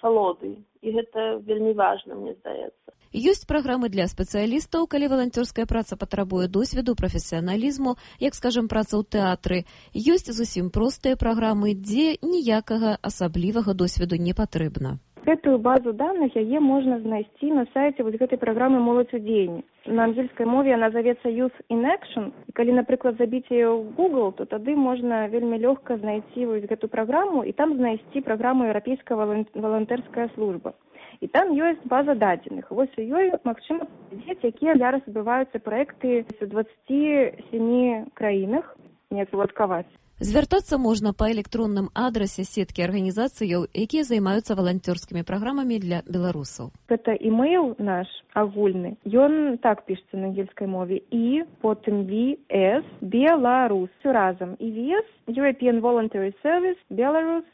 асалоды. І гэта вельмі важна, мне здаецца. Ёсць праграмы для спецыялістаў, калі валанцёрская праца патрабуе досведу, прафесіяналізму, як, скажам, праца ў тэатры. Ёсць зусім простыя праграмы, дзе ніякага асаблівага досведу не патрэбна. Гэтую базу даных яе можна знайсці на сайце вось гэтай праграмы «Моладзь у дзеянні». На ангельскай мове яна завецца «Youth in Action». І калі, напрыклад, забіць яе ў Google, то тады можна вельмі лёгка знайсці вось гэту праграму і там знайсці праграму «Еўрапейская валантэрская служба». І там ёсць база дадзеных. Вось у ёй магчыма паглядзець, якія зараз адбываюцца праекты у 27 краінах, неяк уладкаваць. Звяртацца можна па электронным адрасе сеткі арганізацыяў, якія займаюцца валанцёрскімі праграмамі для беларусаў. Гэта імейл наш агульны. Ён так пішецца на ангельскай мове. І потым VS Беларус. Всё разам. І VS European Voluntary Service Belarus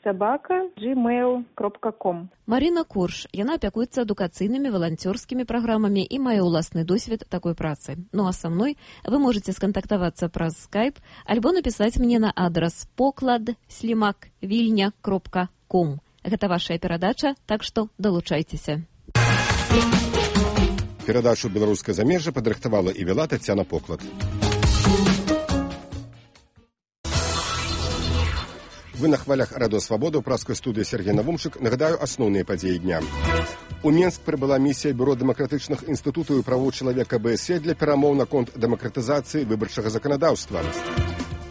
@gmail.com. Марина Корж. Яна апякуецца адукацыйнымі валанцёрскімі праграмамі і мае ўласны досвед такой працы. Ну а са мной вы можете скантактавацца праз Skype альбо напісаць мне на адрас poklad@vilnya.com. Гэта вашая перадача, так што далучайцеся. Перадачу «Беларускае замежжа» падрыхтавала і вела Тацяна Поклад. Вы на хвалях радыё «Свабода» ў праскай студыі Сергей Навумчык. Нагадаю асноўныя падзеі дня. У Менск прыбыла місія Бюро дэмакратычных інстытутаў і правоў чалавека БСЕ для перамоў наконт дэмакратызацыі выбарчага заканадаўства.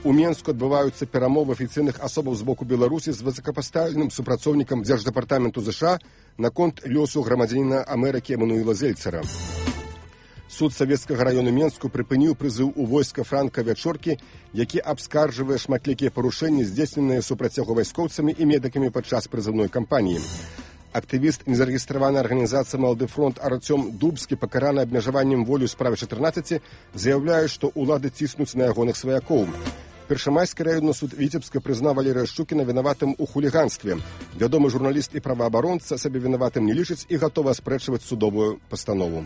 У Менску адбываюцца перамовы афіцыйных асобаў з боку Беларусі з высокапастаўленым супрацоўнікам Дзярждэпартаменту ЗША наконт лёсу грамадзяніна Амерыкі Эмануэла Зельцера. Суд Савецкага раёну Менску прыпыніў прызыў у войска Франка Вячоркі, які абскарджвае шматлікія парушэнні, здзейсненыя супраць яго вайскоўцамі і медыкамі падчас прызыўной кампаніі. Актывіст незарэгістраванай арганізацыі «Малады фронт» Артём Дубскі, пакараны абмежаваннем волі ў справе 14, заяўляе, што ўлады ціснуць на ягоных сваякоў. Першамайскі раённы суд Віцебска прызнаў Валерыя Шчукіна вінаватым у хуліганстве. Вядомы журналіст і праваабаронца сабе вінаватым не лічыць і гатовы аспрэчваць судовую пастанову.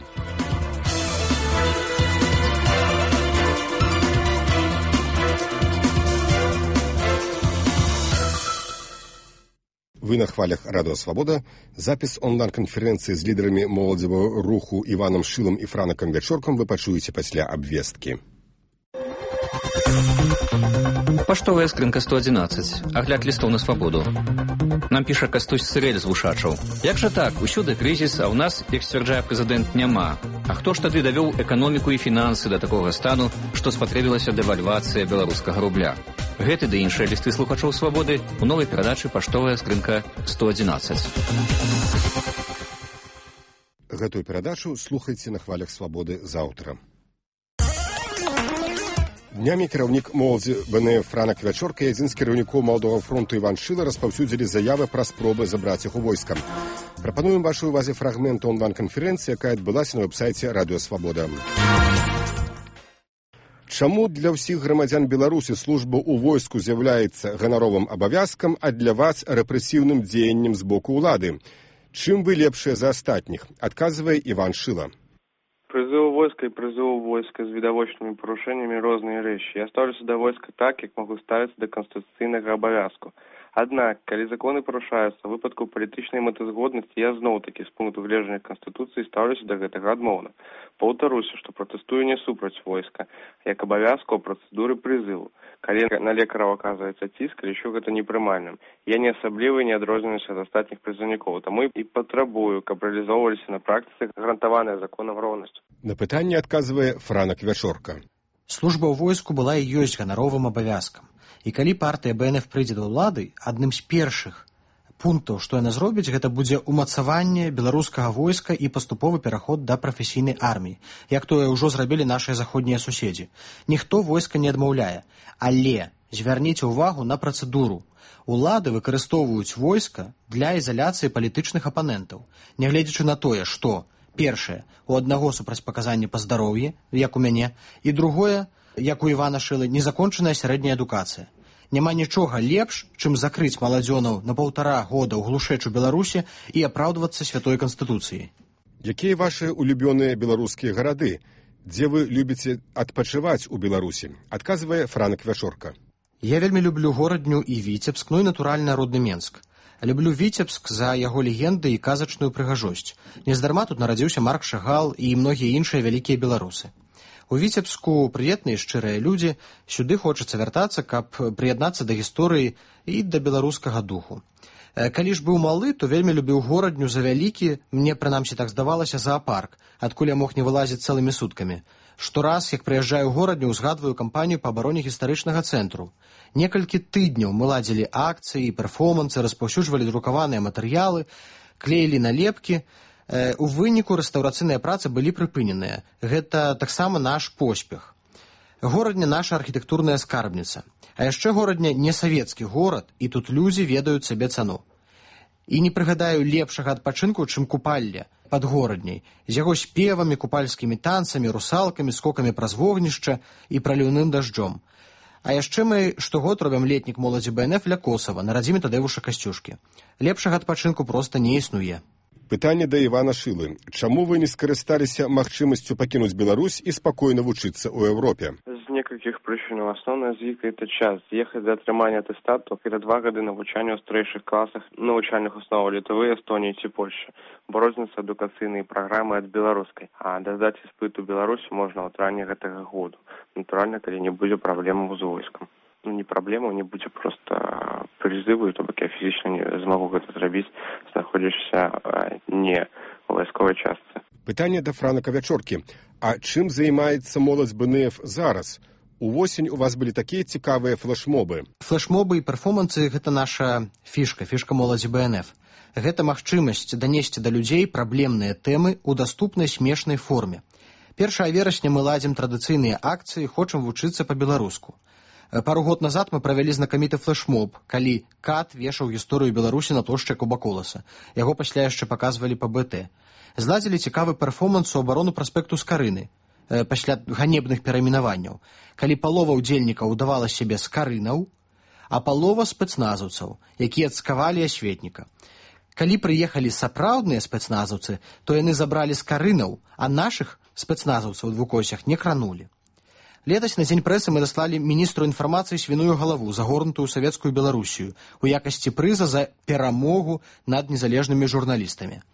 Вы на хвалях радыё «Свабода». Запіс онлайн-канферэнцыі з лідарамі моладзевага руху Іванам Шылам і Франакам Вячоркам вы пачуеце пасля абвесткі. Паштовая скрынка 111. Агляд лістоў на свабоду. Нам піша Кастусь Сырэль з Вушачаў. Як жа так? Усюды крызіс, а ў нас, як сцвярджае прэзідэнт, няма. А хто ж тады давёў эканоміку і фінансы да такога стану, што спатрэбілася дэвальвацыя беларускага рубля? Гэты ды іншыя лісты слухачоў свабоды у новай перадачы «Паштовая скрынка 111». Гэтую перадачу слухайце на хвалях свабоды заўтра. Днямі кіраўнік моладзі БНФ Франак Вячорка і адзін з кіраўнікоў Маладога фронту Іван Шыла распаўсюдзілі заявы пра спробы забраць іх у войска. Прапануем вашай увазе фрагмент онлайн-канферэнцыі, якая адбылася на вэб-сайце радыё «Свабода». Чаму для ўсіх грамадзян Беларусі служба ў войску з'яўляецца ганаровым абавязкам, а для вас рэпрэсіўным дзеяннем з боку ўлады? Чым вы лепшыя за астатніх? Адказвае Іван Шыла. Призыв войска и призыв войска с видовочными порушениями разные вещи. Я ставлюся до войска так, как могу ставиться до конституційного обов'язку. Однак, коли закони порушаються в випадку політичної метазгодності, я знову-таки з пункту гледжання Конституції ставлюся до гэтага адмоўна. Паўтаруся, што протестую не супраць войска, як абавязку процедуры призыву. Калі на лекараў оказывается ціск, лічу гэта непрымальным. Я не асабліва не адрозніваюся ад астатніх прызыўнікоў, таму і патрабую, каб рэалізоўваліся на практыцы гарантаваная законам роўнасць. На пытанне адказвае Франак Вячорка. Служба ў войску была і ёсць ганаровым абавязкам. І калі партыя БНФ прыйдзе да ўлады, адным з першых пунктаў, што яна зробіць, гэта будзе ўмацаванне беларускага войска і паступовы пераход да прафесійнай арміі, як тое ўжо зрабілі нашыя заходнія суседзі. Ніхто войска не адмаўляе, але звярніце ўвагу на працэдуру. Улады выкарыстоўваюць войска для ізаляцыі палітычных апанентаў, нягледзячы на тое, што першае, у аднаго супрацьпаказанне па здароўі, як у мяне, і другое, як у Івана Шылы, незакончаная сярэдняя адукацыя. Няма нічога лепш, чым закрыць маладзёнаў на 1,5 года ў глушэчу Беларусі і апраўдвацца святой канстытуцыяй. Якія вашы улюбёныя беларускія гарады? Дзе вы любіце адпачываць у Беларусі? Адказвае Франак Вячорка. Я вельмі люблю горадню і Віцебск, ну і, натуральна, родны Менск. Люблю Віцебск за яго легенды і казачную прыгажосць. Нездарма тут нарадзіўся Марк Шагал і многія іншыя вялікія беларусы. У Віцебску прыветныя шчырыя людзі, сюды хочацца вяртацца, каб прыяднацца да гісторыі і да беларускага духу. Калі ж быў малы, то вельмі любіў горадню за вялікі, мне прынамсі так здавалася, зоапарк, адкуль я мог не вылазіць цэлымі суткамі. Штораз, як прыязджаю ў горадню, узгадваю кампанію па абароне гістарычнага цэнтру. Некалькі тыдняў мы ладзілі акцыі, перформансы, распаўсюджвалі друкаваныя матэрыялы, клеілі налепкі. У выніку рэстаўрацыйныя працы былі прыпыненыя. Гэта таксама наш поспех. Горадня наша архітэктурная скарбніца. А яшчэ горадня не савецкі горад, і тут людзі ведаюць сабе цану. І не прыгадаю лепшага адпачынку, чым купалле пад горадняй, з яго спевамі, купальскімі танцамі, русалкамі, скокамі праз вогнішча і праліўным дажджом. А яшчэ мы штогод робім летнік моладзі БНФ ля Косава на радзіме Тадэвуша Касцюшкі. Лепшага адпачынку проста не існуе. Пытанне да Івана Шылы. Чаму вы не скарысталіся магчымасцю пакінуць Беларусь і спакойна вучыцца ў Еўропе? З некалькіх прычынаў. Асноўная з іх – это час. З'ехаць да атрымання атэстату – это 2 гады навучання ў старэйшых класах навучальных основаў Літвы, Эстонії ці Польшчы, бо розніца адукацыйнай праграмы ад беларускай. А дадаць іспыт у Беларусі можна ў траўні гэтага году. Натуральна, калі не будзе праблемаў з войскам. Не праблема, не будзе проста прызыву, то бок я фізічна не змагу гэта зрабіць, знаходзішся не ў вайсковай частцы. Пытанне да Франака Вячоркі. А чым займаецца моладзь БНФ зараз? Увосень у вас былі такія цікавыя флешмобы. Флешмобы і перформансы – гэта наша фішка моладзі БНФ. Гэта магчымасць данесці да людзей праблемныя тэмы ў даступнай смешнай форме. 1 верасня мы ладзім традыцыйныя акцыі, хочам вучыцца па-беларуску. Пару год назад мы правялі знакаміты флешмоб, калі Кат вешаў гісторыю Беларусі на плошчы Куба-Коласа. Яго пасля яшчэ паказвалі па БТ. Зладзілі цікавы перформанс у абарону праспекту Скарыны, пасля ганебных перайменаванняў, калі палова ўдзельнікаў удавала сябе скарынаў, а палова спецназаўцаў, якія цкавалі асветніка. Калі прыехалі сапраўдныя спецназаўцы, то яны забралі скарынаў, а нашых спецназаўцаў у двукосях не кранулі. Летась на дзень прэсы мы даслалі міністру інфармацыі свіную галаву, загорнутую савецкую Беларусію, у якасці прыза за перамогу над незалежнымі журналістамі.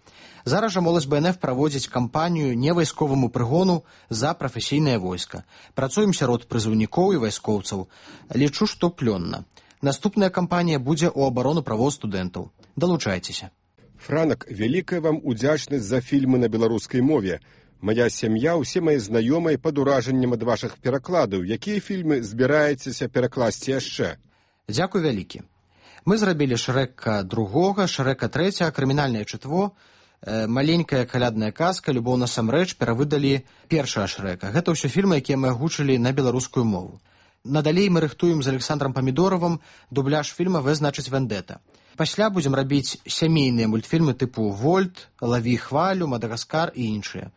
Зараз жа моладзь БНФ праводзіць кампанію невайсковаму прыгону за прафесійнае войска. Працуем сярод прызыўнікоў і вайскоўцаў. Лічу, што плённа. Наступная кампанія будзе ў абарону правоў студэнтаў. Далучайцеся. Франак, вялікая вам удзячнасць за фільмы на беларускай мове. Мая сям'я, усе мае знаёмыя пад уражаннем ад вашых перакладаў. Якія фільмы збіраецеся перакласці яшчэ? Дзякуй вялікі. Мы зрабілі Шрэка 2, Шрэка 3, крымінальнае чытво, маленькая калядная казка, любоў насамрэч, перавыдалі першага Шрэка. Гэта ўсё фільмы, якія мы агучылі на беларускую мову. Надалей мы рыхтуем з Александром Памідоровым дубляж фільма «В значыць вендета». Пасля будзем рабіць сямейныя мультфільмы тыпу «Вольт», «Лаві хвалю», «Мадагаскар» і іншыя.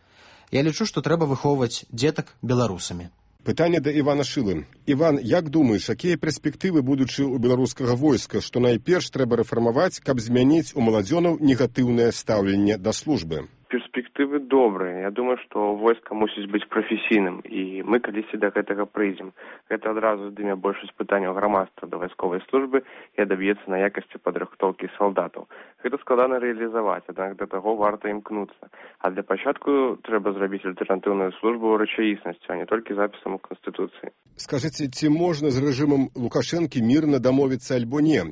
Я лічу, што трэба выхоўваць дзетак беларусамі. Пытанне да Івана Шылы. Іван, як думаеш, якія перспектывы будучы ў беларускага войска, што найперш трэба рэфармаваць, каб змяніць у маладзёнаў негатыўнае стаўленне да службы? Перспектывы добрыя. Я думаю, што войска мусіць быць прафесійным, і мы калісьці да гэтага прыйдзем. Гэта адразу здыме большасць пытанняў грамадства да вайсковай службы і адаб'ецца на якасці падрыхтоўкі салдатаў. Гэта складана рэалізаваць, аднак да таго варта імкнуцца. А для пачатку трэба зрабіць альтэрнатыўную службу ў рэчаіснасці, а не толькі запісам у Канстытуцыі. Скажыце, ці можна з рэжымам Лукашэнкі мірна дамовіцца альбо не?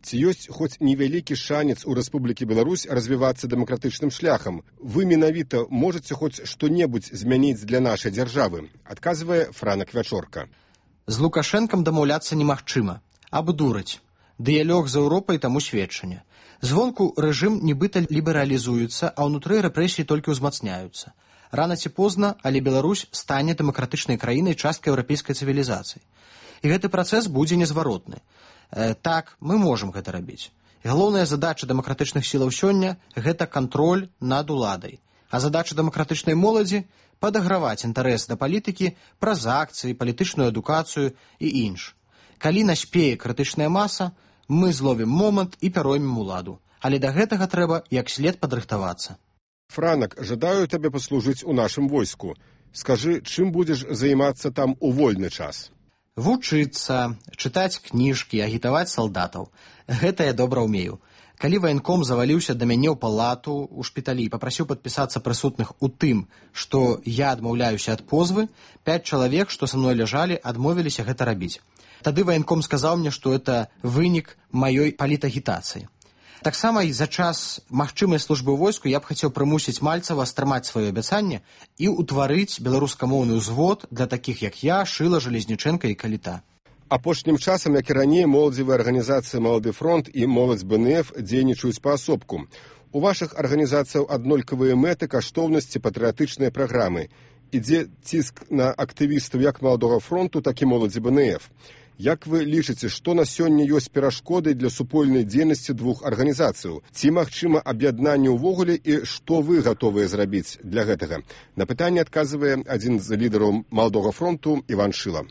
Ці ёсць хоць невялікі шанец у Рэспублікі Беларусь развівацца дэмакратычным шляхам? Вы менавіта можаце хоць што-небудзь змяніць для нашай дзяржавы? Адказвае Франак Вячорка. З Лукашэнкам дамаўляцца немагчыма. Абдураць. Дыялог з Еўропай таму сведчанне. Звонку рэжым нібыта лібералізуецца, а ўнутры рэпрэсіі толькі ўзмацняюцца. Рана ці позна, але Беларусь стане дэмакратычнай краінай, часткай еўрапейскай цывілізацыі. І гэты працэс будзе незваротны. Так, мы можам гэта рабіць. Галоўная задача дэмакратычных сілаў сёння – гэта кантроль над уладай. А задача дэмакратычнай моладзі – падаграваць інтарэс да палітыкі праз акцыі, палітычную адукацыю і інш. Калі наспее крытычная маса, мы зловім момант і пяроймем уладу. Але да гэтага трэба як след падрыхтавацца. Франак, жадаю табе паслужыць у нашым войску. Скажы, чым будзеш займацца там у вольны час? Вучыцца, чытаць кніжкі, агітаваць салдатаў. Гэта я добра ўмею. Калі ваенком заваліўся да мяне ў палату ў шпіталі і папрасіў падпісацца прысутных у тым, што я адмаўляюся ад позвы, 5 чалавек, што са мной ляжалі, адмовіліся гэта рабіць. Тады ваенком сказаў мне, што это вынік маёй палітагітацыі. Таксама і за час магчымай службы ў войску я б хацеў прымусіць Мальцева стрымаць сваё абяцанне і ўтварыць беларускамоўны ўзвод для такіх, як я, Шыла, Жалезнічэнка і Каліта. Апошнім часам, як і раней, моладзевыя арганізацыі «Малады фронт» і «Моладзь БНФ» дзейнічаюць паасобку. У вашых арганізацыяў аднолькавыя мэты, каштоўнасці, патрыятычныя праграмы. Ідзе ціск на актывістаў як «Маладога фронту», так і «Моладзі БНФ». Як вы лічыце, што на сёння ёсць перашкоды для супольнай дзейнасці двух арганізацыяў? Ці магчыма аб'яднанне ўвогуле і што вы гатовыя зрабіць для гэтага? На пытанне адказвае адзін з лідараў «Маладога фронту» Іван Шыла.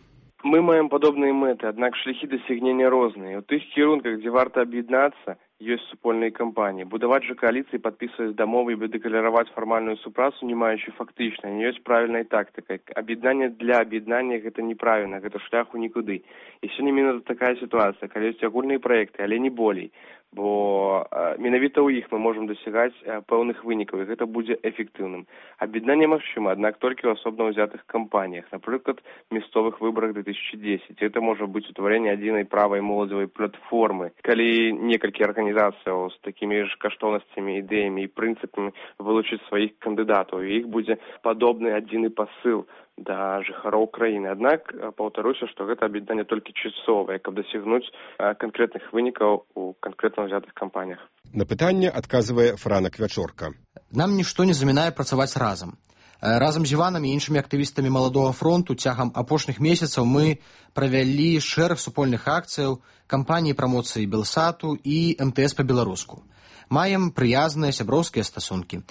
Мы маем падобныя мэты, аднак шляхі дасягнення розныя. У тых кірунках, дзе варта аб'яднацца, ёсць супольныя кампаніі. Будаваць жа кааліцыі, падпісваць дамовы і дэклараваць фармальную супрацу, не маючы фактычна, не ёсць правільнай тактыкай. Аб'яднанне для аб'яднання гэта неправільна, гэта шлях у нікуды. І сёння менавіта такая сітуацыя, калі ёсць агульныя праекты, але не болей. Бо менавіта ў іх мы можам дасягаць пэўных вынікаў, і гэта будзе эфектыўным. Аб'яднанне магчыма, аднак толькі ў асобна ўзятых кампаніях, напрыклад, мясцовых выбарах 2010. Гэта можа быць утварэнне адзінай правай моладзевай платформы. Калі некалькі арганізацыяў з такімі ж каштоўнасцямі, ідэямі і прынцыпамі вылучыць сваіх кандыдатаў, і іх будзе падобны адзіны пасыл да жыхароў краіны. Аднак, паўтаруся, што гэта аб'яднанне толькі часовае, каб дасягнуць канкрэтных вынікаў у канкрэтна ўзятых кампаніях. На пытанне адказвае Франак Вячорка. Нам нішто не замінае працаваць разам. Разам з Іванам і іншымі актывістамі «Маладога фронту» цягам апошніх месяцаў мы правялі шэраг супольных акцыяў, кампаніі прамоцыі Белсату і МТС па-беларуску. Маем прыязныя сяброўскія стасункі.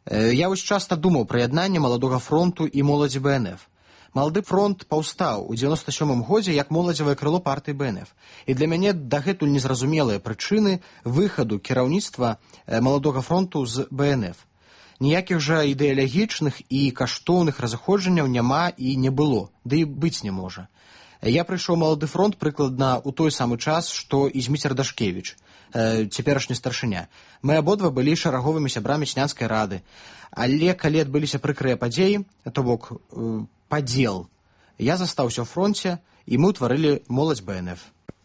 Я вось часта думаў пра яднанне «Маладога фронту» і «Моладзі БНФ». «Малады фронт» паўстаў у 97-м годзе як моладзевае крыло партыі БНФ. І для мяне дагэтуль незразумелыя прычыны выхаду кіраўніцтва «Маладога фронту» з БНФ. Ніякіх жа ідэалагічных і каштоўных разыходжанняў няма і не было, ды і быць не можа. Я прыйшоў «Малады фронт» прыкладна ў той самы час, што і Зміцер Дашкевіч, цяперашні старшыня. Мы абодва былі шараговымі сябрамі сянскай рады. Але калі адбыліся прыкрыя падзеі, то бок падзел, я застаўся ў фронце, і мы ўтварылі «Моладзь БНФ».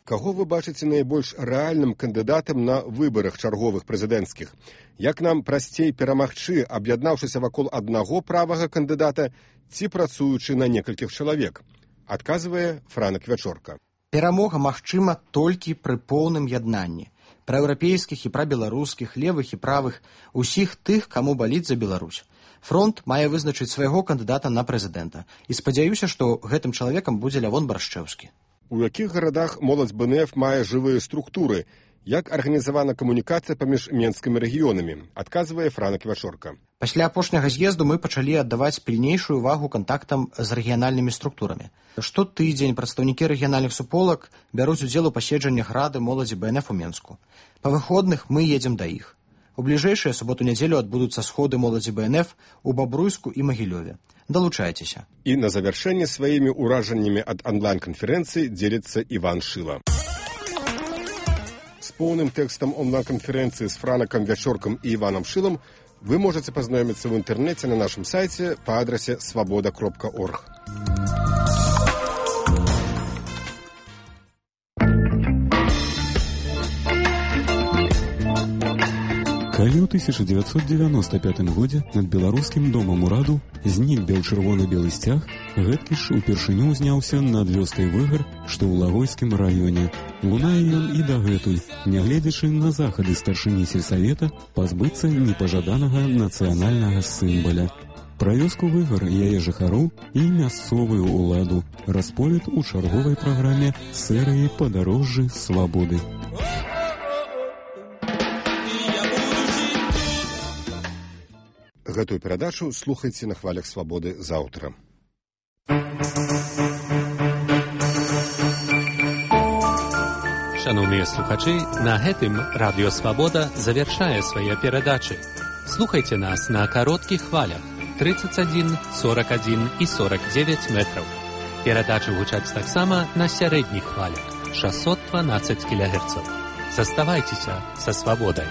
Каго вы бачыце найбольш рэальным кандыдатам на выбарах чарговых прэзідэнцкіх? Як нам прасцей перамагчы, аб'яднаўшыся вакол аднаго правага кандыдата ці працуючы на некалькіх чалавек? Адказвае Франак Вячорка. Перамога магчыма толькі пры поўным яднанні. Праеўрапейскіх і прабеларускіх, левых і правых, усіх тых, каму баліць за Беларусь. Фронт мае вызначыць свайго кандыдата на прэзідэнта. І спадзяюся, што гэтым чалавекам будзе Лявон Баршчэўскі. У якіх гарадах «Моладзь БНФ» мае жывыя структуры? Як арганізавана камунікацыя паміж менскімі рэгіёнамі? Адказвае Франак Вячорка. Пасля апошняга з'езду мы пачалі аддаваць пільнейшую увагу кантактам з рэгіянальнымі структурамі. Штотыдзень прадстаўнікі рэгіянальных суполак бяруць удзел у паседжаннях рады моладзі БНФ у Менску. Па выходных мы едзем да іх. У бліжэйшыя суботу-нядзелю адбудуцца сходы моладзі БНФ у Бабруйску і Магілёве. Далучайцеся. І на завяршэнне сваімі ўражаннямі ад онлайн-канферэнцыі дзеліцца Іван Шыла. З поўным тэкстам онлайн-канферэнцыі з Франакам Вячоркам і Іванам Шылам вы можаце пазнаёміцца ў інтэрнэце на нашым сайце па адрасе свабода.орг. Калі ў 1995 годзе над беларускім домам ураду знік бел-чырвона-белы сцяг, гэткі ж упершыню ўзняўся над вёскай Выгар, што ў Лагойскім раёне. Лунае ён і дагэтуль, нягледзячы на захады старшыні сельсавета пазбыцца непажаданага нацыянальнага сімваля. Пра вёску Выгар, яе жыхароў і мясцовую ўладу расповед у чарговай праграме серыі «Падарожжы свабоды». Гэтую перадачу слухайце на хвалях свабоды заўтра. Шановныя слухачы, на гэтым Радыё Свабода завяршае свае перадачы. Слухайце нас на кароткіх хвалях 31, 41 і 49 метраў. Перадачы гучаць таксама на сярэдніх хвалях 612 кГц. Заставайтеся со свободой.